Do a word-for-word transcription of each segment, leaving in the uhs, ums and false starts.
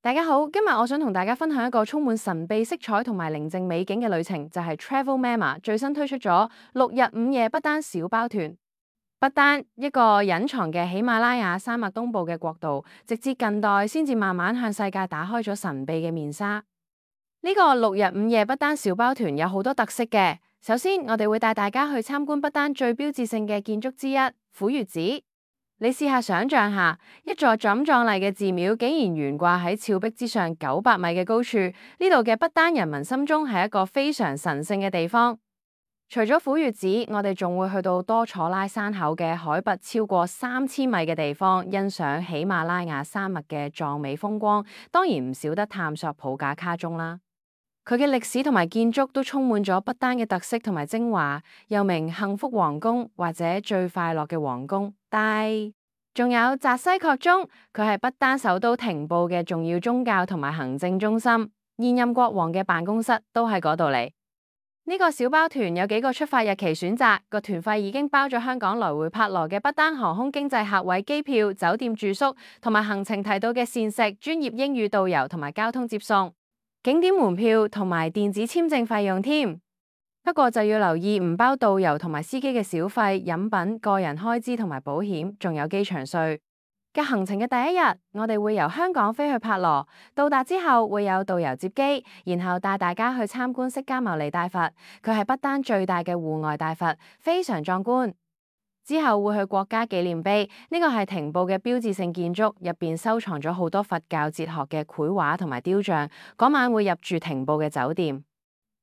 大家好，今日我想同大家分享一個充滿神秘色彩同埋寧靜美景嘅旅程，就係 Travel Mama 最新推出咗六日五夜不丹小包團。不丹一個隱藏嘅喜馬拉雅山脈東部嘅國度，直至近代先至慢慢向世界打開咗神秘嘅面紗。呢個六日五夜不丹小包團有好多特色嘅。首先，我哋會帶大家去參觀不丹最標誌性嘅建築之一虎穴寺。你試下想象下，一座咁壯麗嘅寺廟竟然懸掛喺峭壁之上九百米嘅高處，呢度嘅不丹人民心中係一個非常神聖嘅地方。除咗虎穴寺，我哋仲會去到多楚拉山口嘅海拔超過三千米嘅地方，欣賞喜馬拉雅山脈嘅壯美風光。當然唔少得探索普架卡宗啦，佢嘅歷史同埋建築都充滿咗不丹嘅特色同埋精華，又名幸福皇宮或者最快樂嘅皇宮。但仲有扎西確宗，佢係不丹首都廷布嘅重要宗教同埋行政中心，現任國王嘅辦公室都喺嗰度嚟。呢個小包團有幾個出發日期選擇，個團費已經包咗香港來回帕羅嘅不丹航空經濟客位機票、酒店住宿同埋行程提到嘅膳食、專業英語導遊同埋交通接送、景點門票同埋電子簽證費用添。不過就要留意唔包導遊同埋司機嘅小費、飲品、個人開支同埋保險，仲有機場稅。嘅行程嘅第一日，我哋會由香港飛去帕羅，到達之後會有導遊接機，然後帶大家去參觀釋迦牟尼大佛，佢係不丹最大嘅戶外大佛，非常壯觀。之後會去國家紀念碑，呢個係廷布嘅標誌性建築，入邊收藏咗好多佛教哲學嘅繪畫同埋雕像。嗰晚會入住廷布嘅酒店。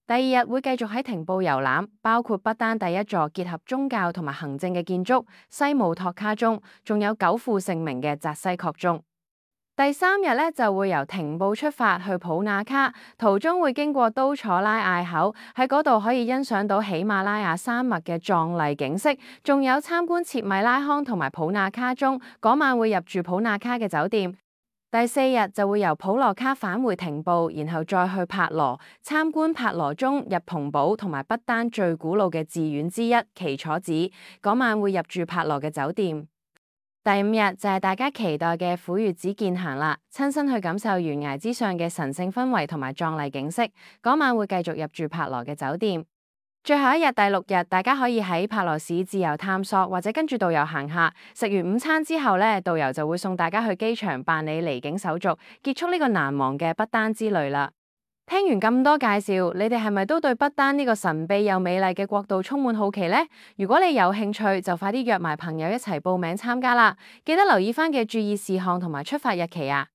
第二日會繼續喺廷布遊覽，包括不丹第一座結合宗教同埋行政嘅建築西姆托卡宗，仲有久負盛名嘅扎西確宗。第三日咧就會由廷布出發去普那卡，途中會經過都楚拉隘口，喺嗰度可以欣賞到喜馬拉雅山脈嘅壯麗景色，仲有參觀切米拉康同埋普那卡宗。嗰晚會入住普那卡嘅酒店。第四日就會由普羅卡返回廷布，然後再去帕羅參觀帕羅宗、日蓬堡同埋不丹最古老嘅寺院之一奇楚寺。嗰晚會入住帕羅嘅酒店。第五日就係大家期待嘅虎穴寺健行啦，親身去感受懸崖之上嘅神聖氛圍同埋壯麗景色。嗰晚會繼續入住帕羅嘅酒店。最後一日第六日，大家可以喺帕羅市自由探索，或者跟住導遊行下。食完午餐之後咧，導遊就會送大家去機場辦理離境手續，結束呢個難忘嘅不丹之旅啦。聽完咁多介紹，你哋係咪都對不丹呢個神秘又美麗嘅國度充滿好奇呢？如果你有興趣，就快啲約埋朋友一齊報名參加啦！記得留意翻嘅注意事項同埋出發日期啊！